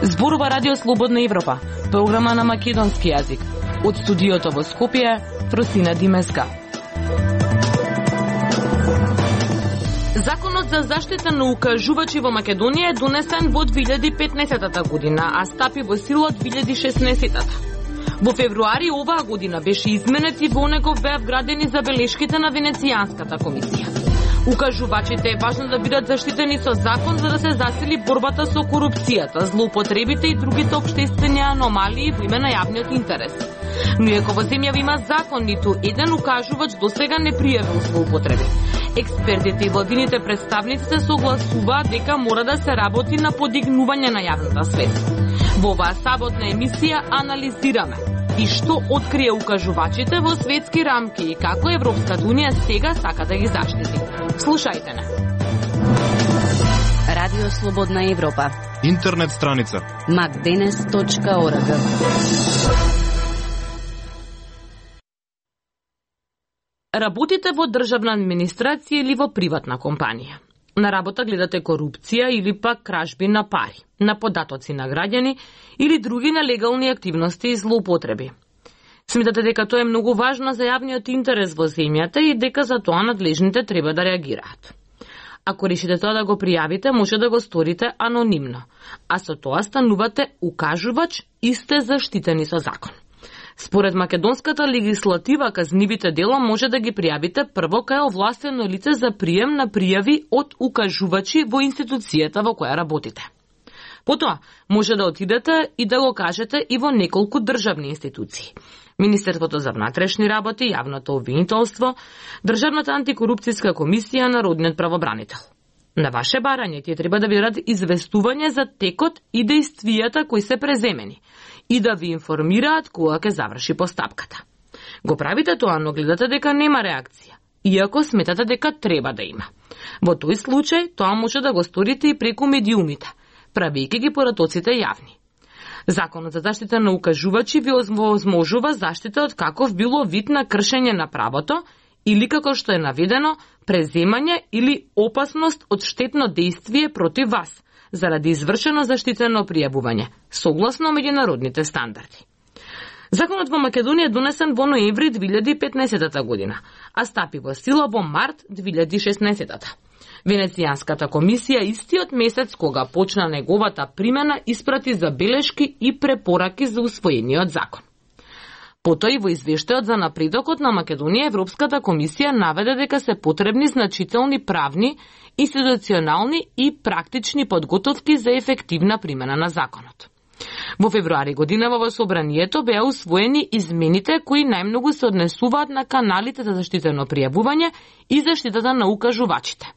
Зборува Радио Слободна Европа, програма на македонски јазик. Од студиото во Скопје, Просина Димеска. Законот за заштита на укажувачи во Македонија е донесен во 2015 година, а стапи во сила од 2016. Во февруари оваа година беше изменет и во него беа вградени забелешките на Венецијанската комисија. Укажувачите е важно да бидат заштитени со закон за да се засили борбата со корупцијата, злоупотребите и другите општествени аномалии во име на јавниот интерес. Но иако во земјава има закон, ниту еден укажувач досега не пријавил злоупотреби. Експертите и владините представници се согласуваат дека мора да се работи на подигнување на јавната свест. Во оваа саботна емисија анализираме и што открие укажувачите во светски рамки и како Европската унија сега сака да ги заштити. Слушајте не. Радио Слободна Европа. Интернет страница macdenes.org. Работите во државна администрација или во приватна компанија. На работа гледате корупција или пак кражби на пари, на податоци на граѓани или други нелегални активности и злоупотреби. Сметате дека тоа е многу важно за јавниот интерес во земјата и дека за тоа надлежните треба да реагираат. Ако решите тоа да го пријавите, може да го сторите анонимно, а со тоа станувате укажувач и сте заштитени со закон. Според македонската легислатива, казнивите дела може да ги пријавите прво кај овластено лице за прием на пријави од укажувачи во институцијата во која работите. Потоа, може да отидете и да го кажете и во неколку државни институции. Министерството за внатрешни работи, јавното обвинителство, Државната антикорупцијска комисија, Народниот правобранител. На ваше барање тие треба да ви дадат известување за текот и действијата кои се преземени и да ви информираат кога ќе заврши постапката. Го правите тоа, но гледате дека нема реакција, иако сметате дека треба да има. Во тој случај, тоа може да го сторите и преку медиумите, правејќи ги поратоците јавни. Законот за заштита на укажувачи ви овозможува заштита од каков било вид на кршење на правото или, како што е наведено, преземање или опасност од штетно дејствие против вас, заради извршено заштитено пријавување, согласно меѓународните стандарди. Законот во Македонија е донесен во ноември 2015 година, а стапи во сила во март 2016. Венецијанската комисија истиот месец кога почна неговата примена испрати забелешки и препораки за усвоениот закон. Потоа и во извештајот за напредокот на Македонија Европската комисија наведе дека се потребни значителни правни, институционални и практични подготовки за ефективна примена на законот. Во февруари година во собранието беа усвоени измените кои најмногу се однесуваат на каналите за заштитено пријавување и заштитата на укажувачите.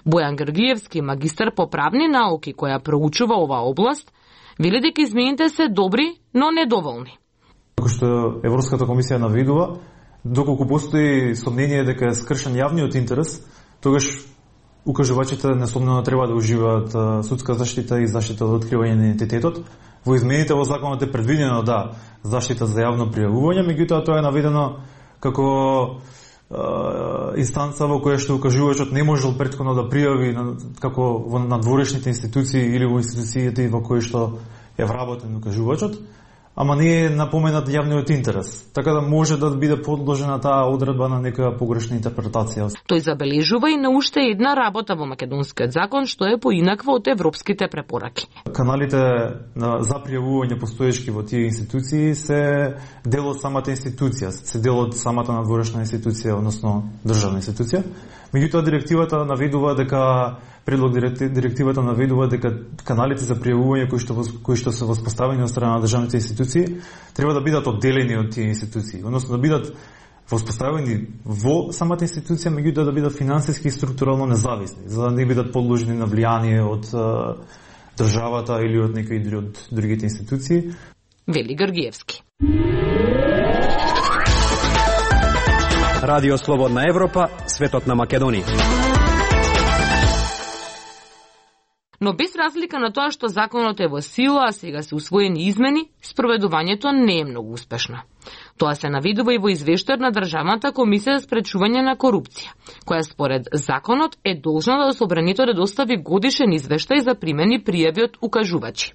Бојан Георгиевски, магистар по правни науки која проучува оваа област, вели дека измените се добри, но недоволни. Како што Европската комисија наведува, доколку постои сомнение дека е скршен јавниот интерес, тогаш укажувачите несомнено треба да уживаат судска заштита и заштита од откривање на идентитетот. Во измените во законот е предвидено заштита за јавно пријавување, меѓутоа тоа е наведено како инстанца во која што укажувачот не можел претходно да пријави како во надворешните институции или во институциите во кои што е вработен укажувачот, ама не е напоменат јавниот интерес, така да може да биде подложена таа одредба на некоја погрешна интерпретација. Тој забележува и на уште една работа во македонскиот закон што е поинаква од европските препораки. Каналите за пријавување постоечки во тие институции се дел од самата институција, се дел од самата надворешна институција, односно државна институција. Меѓутоа директивата наведува дека директивата наведува дека каналите за пријавување кои што се воспоставени од страна на државните институции треба да бидат одделени од тие институции, односно да бидат воспоставени во самата институција, меѓутоа да бидат финансиски и структурално независни, за да не бидат подложени на влијание од државата или од некои од другите институции. Вели Георгиевски. Радио Слободна Европа, светот на Македонија. Но без разлика на тоа што законот е во сила, а сега се усвоени измени, спроведувањето не е многу успешно. Тоа се навидува и во извештајот на Државната комисија за спречување на корупција, која според законот е должна да собранието да достави годишен извештај за примени пријави од укажувачи.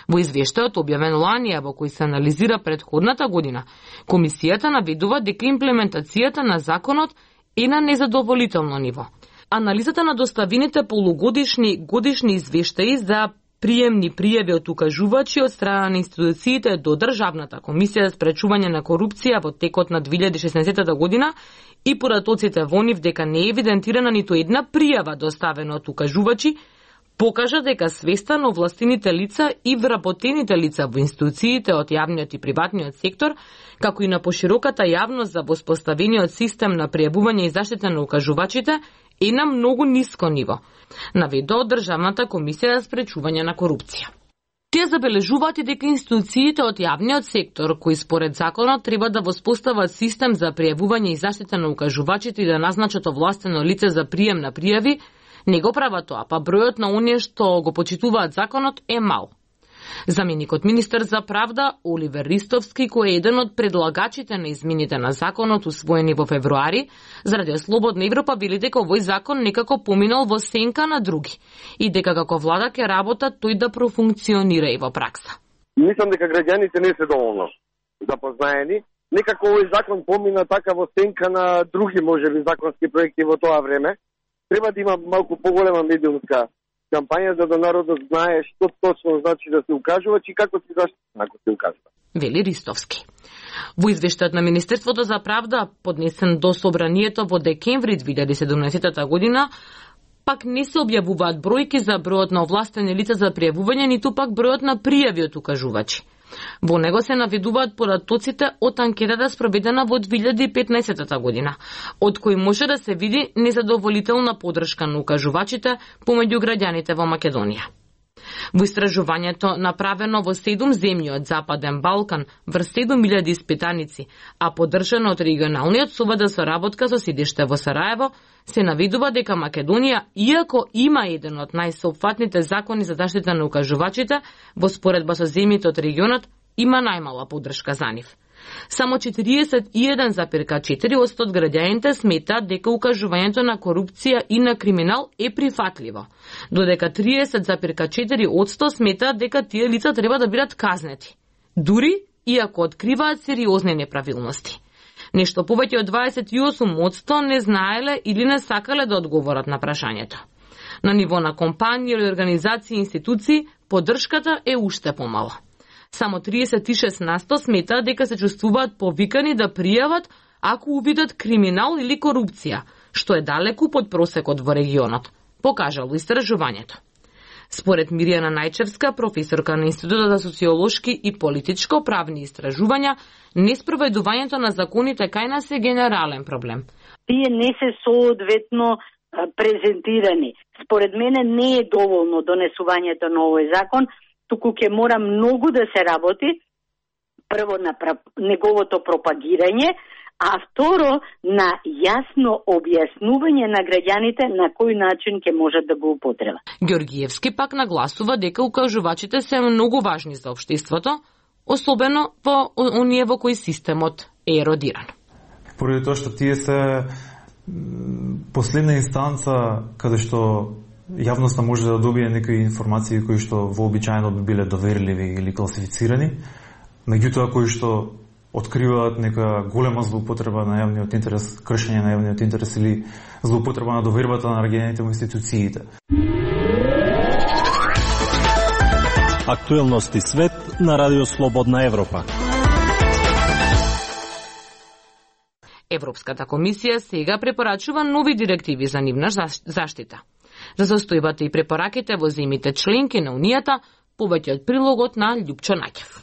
Во извештајот објавен лани, во кој се анализира претходната година, комисијата навидува дека имплементацијата на законот е на незадоволително ниво. Анализата на доставените годишни извештаи за приемни пријави од укажувачи од страна на институциите до Државната комисија за спречување на корупција во текот на 2016 година и поратоците во нив дека не е евидентирана ниту една пријава доставена од укажувачи, покажа дека свеста на овластените лица и вработените лица во институциите од јавниот и приватниот сектор, како и на пошироката јавност за воспоставениот систем на пријавување и заштита на укажувачите, е на многу ниско ниво, наведува од Државната комисија за спречување на корупција. Тие забележуваат и дека институциите од јавниот сектор, кои според законот треба да воспостават систем за пријавување и заштита на укажувачите и да назначат овластено лице за прием на пријави, не го прават тоа, па бројот на оние што го почитуваат законот е мал. Заменикот министер за правда Оливер Ристовски, кој е еден од предлагачите на измените на законот усвоени во февруари, за Радио Слободна Европа вели дека овој закон некако поминал во сенка на други и дека како влада ќе работа тој да профункционира и во пракса. Мислам дека граѓаните не се доволно запознаени. Некако овој закон помина така во сенка на други можеби законски проекти во тоа време. Треба да има малку поголема медиумска кампања за да народот знае што точно значи да се укажува и како се заштити ако се укажува. Вели Ристовски. Во извештајот на Министерството за правда, поднесен до собранието во декември 2017 година, пак не се објавуваат бројки за бројот на овластени лица за пријавување, ниту пак бројот на пријави од укажувачи. Во него се наведуваат поратоците од анкетата спроведена во 2015 година, од кој може да се види незадоволителна поддршка на укажувачите помеѓу граѓаните во Македонија. Во истражувањето направено во 7 земји од Западен Балкан врз 7000 испитаници, а поддржано од регионалниот совет за соработка со седиште во Сараево, се навидува дека Македонија, иако има еден од најсеопфатните закони за заштита на укажувачите, во споредба со земјите од регионот, има најмала поддршка за нив. Само 41,4% од граѓаните сметаат дека укажувањето на корупција и на криминал е прифатливо, додека 30,4% сметаат дека тие лица треба да бидат казнети, дури иако откриваат сериозни неправилности. Нешто повеќе од 28% не знаеле или не сакале да одговорат на прашањето. На ниво на компании или организации и институции, поддршката е уште помала. Само 36% сметаат дека се чувствуваат повикани да пријават ако увидат криминал или корупција, што е далеку под просекот во регионот, покажало истражувањето. Според Миријана Најчевска, професорка на Институтот за социолошки и политичко-правни истражувања, неспроведувањето на законите кај нас е генерален проблем. Тие не се соодветно презентирани. Според мене не е доволно донесувањето на овој закон, туку ќе мора многу да се работи, прво на неговото пропагирање, а второ на јасно објаснување на граѓаните на кој начин ќе можат да го употребат. Ѓоргиевски пак нагласува дека укажувачите се многу важни за општеството, особено во оние во кои системот е еродиран. Поради тоа што тие се последна инстанца каде што јавноста може да добие некои информации кои што вообичаено би биле доверливи или класифицирани, меѓутоа кои што откриваат нека голема злоупотреба на јавниот интерес, кршење на јавниот интерес или злоупотреба на довербата на граѓаните во институциите. Актуелности свет на Радио Слободна Европа. Европската комисија сега препорачува нови директиви за нивна заштита. За состојбата и препораките во земјите членки на Унијата, повеќе од прилогот на Љупчо Наќев.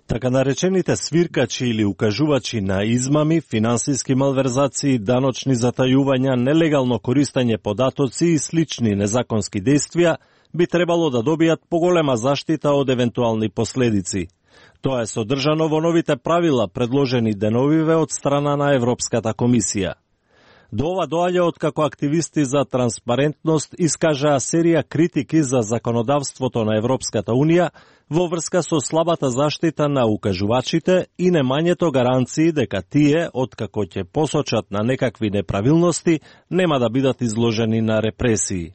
Така наречените свиркачи или укажувачи на измами, финансиски малверзации, даночни затајувања, нелегално користење податоци и слични незаконски действија би требало да добијат поголема заштита од евентуални последици. Тоа е содржано во новите правила предложени деновиве од страна на Европската комисија. До ова доаѓа откако активисти за транспарентност искажаа серија критики за законодавството на Европската Унија во врска со слабата заштита на укажувачите и немањето гаранции дека тие, откако ќе посочат на некакви неправилности, нема да бидат изложени на репресии.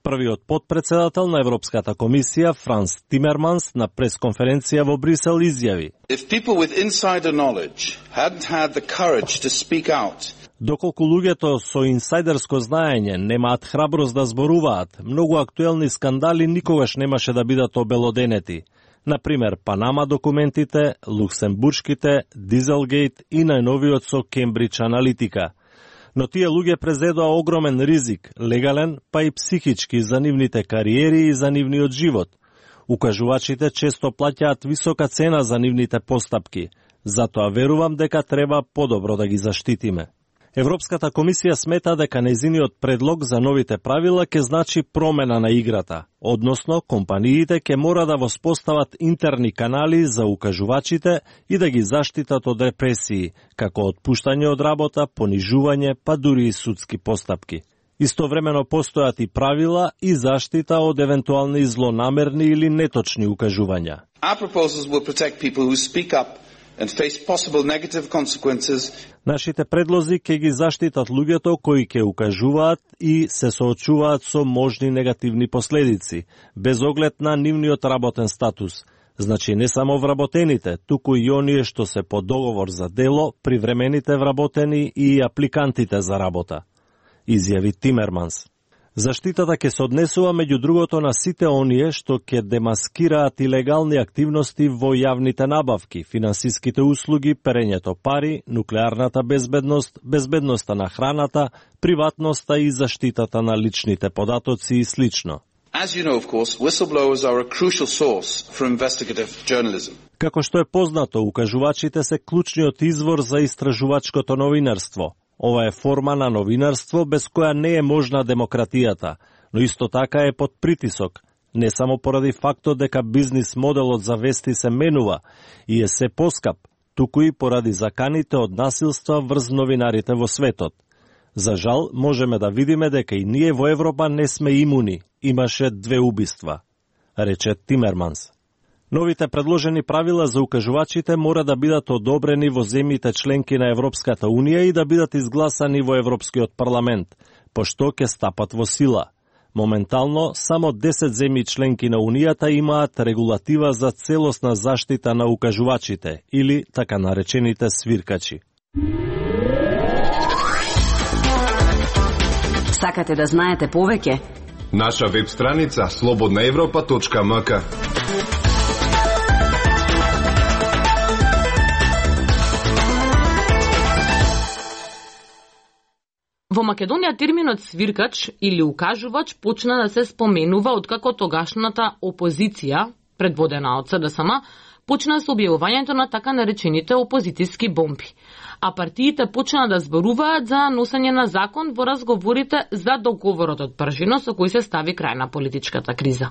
Првиот потпредседател на Европската комисија, Франс Тимерманс, на пресконференција во Брисел изјави: If people with insider knowledge hadn't had the courage to speak out, доколку луѓето со инсайдерско знаење немаат храброст да зборуваат, многу актуелни скандали никогаш немаше да бидат обелоденети. Например, Панама документите, Луксембуршките, Дизелгейт и најновиот со Кембридж аналитика. Но тие луѓе презедоа огромен ризик, легален, па и психички за нивните кариери и за нивниот живот. Укажувачите често плаќаат висока цена за нивните постапки, затоа верувам дека треба подобро да ги заштитиме. Европската комисија смета дека нејзиниот предлог за новите правила ќе значи промена на играта, односно компаниите ќе мора да воспостават интерни канали за укажувачите и да ги заштитат од репресии, како отпуштање од работа, понижување, па дури и судски постапки. Истовремено постојат и правила и заштита од евентуални злонамерни или неточни укажувања. our proposals will protect people who speak up and face possible negative consequences. Нашите предлози ќе ги заштитат луѓето кои ќе укажуваат и се соочуваат со можни негативни последици, без оглед на нивниот работен статус. Значи не само вработените, туку и оние што се по договор за дело, привремените вработени и апликантите за работа, изјави Тимерманс. Заштитата ќе се однесува меѓу другото на сите оние што ќе демаскираат илегални активности во јавните набавки, финансиските услуги, перењето пари, нуклеарната безбедност, безбедноста на храната, приватноста и заштитата на личните податоци и слично. As you know, of course, whistleblowers are a crucial source for investigative journalism. Како што е познато, укажувачите се клучниот извор за истражувачкото новинарство. Ова е форма на новинарство без која не е можна демократијата, но исто така е под притисок, не само поради фактот дека бизнис моделот за вести се менува и е се поскап, туку и поради заканите од насилства врз новинарите во светот. За жал, можеме да видиме дека и ние во Европа не сме имуни. Имаше 2 убиства, рече Тимерманс. Новите предложени правила за укажувачите мора да бидат одобрени во земјите членки на Европската Унија и да бидат изгласани во Европскиот парламент, пошто ќе стапат во сила. Моментално, само 10 земји членки на Унијата имаат регулатива за целосна заштита на укажувачите, или така наречените свиркачи. Сакате да знаете повеќе? Наша веб страница slobodnaevropa.mk. Во Македонија терминот свиркач или укажувач почна да се споменува откако тогашната опозиција, предводена од СДСМ, почна со објавувањето на така наречените опозицијски бомби. А партиите почна да зборуваат за носење на закон во разговорите за договорот од Пржино со кој се стави крај на политичката криза.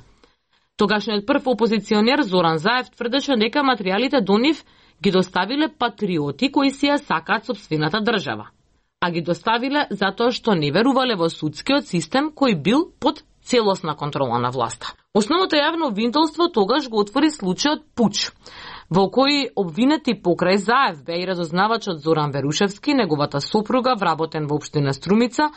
Тогашниот прв опозиционер Зоран Заев тврдеше дека материјалите до нив ги доставиле патриоти кои си ја сакаат сопствената држава, а ги доставиле затоа што не верувале во судскиот систем кој бил под целосна контрола на власта. Основното јавно обвинителство тогаш го отвори случајот Пуч, во кој обвинети покрај Заев беа и разузнавачот Зоран Верушевски, неговата сопруга вработен во општина Струмица,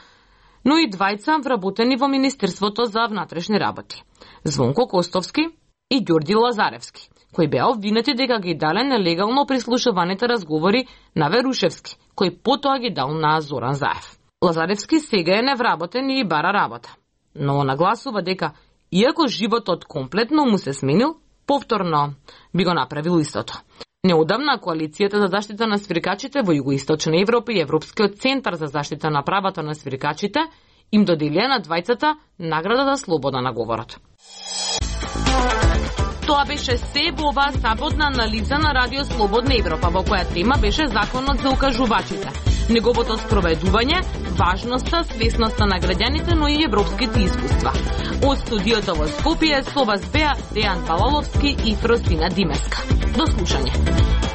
но и двајца вработени во Министерството за внатрешни работи, Звонко Костовски и Ѓорѓи Лазаревски, кои беа обвинети дека ги дале нелегално прислушуваните разговори на Верушевски, кој потоа ги дал на Зоран Заев. Лазаревски сега е невработен и бара работа, но нагласува дека, иако животот комплетно му се сменил, повторно би го направил истото. Неодамна коалицијата за заштита на свиркачите во Југоисточна Европа и Европскиот центар за заштита на правата на свиркачите им доделија на двајцата награда за слобода на говорот. Тоа беше се во оваа саботна анализа на Радио Слободна Европа, во која тема беше законот за укажувачите, неговото спроведување, важноста, свесноста на граѓаните, но и европските искуства. Од студиото во Скопје со вас беа Дејан Балаловски и Фросина Димеска. До слушање.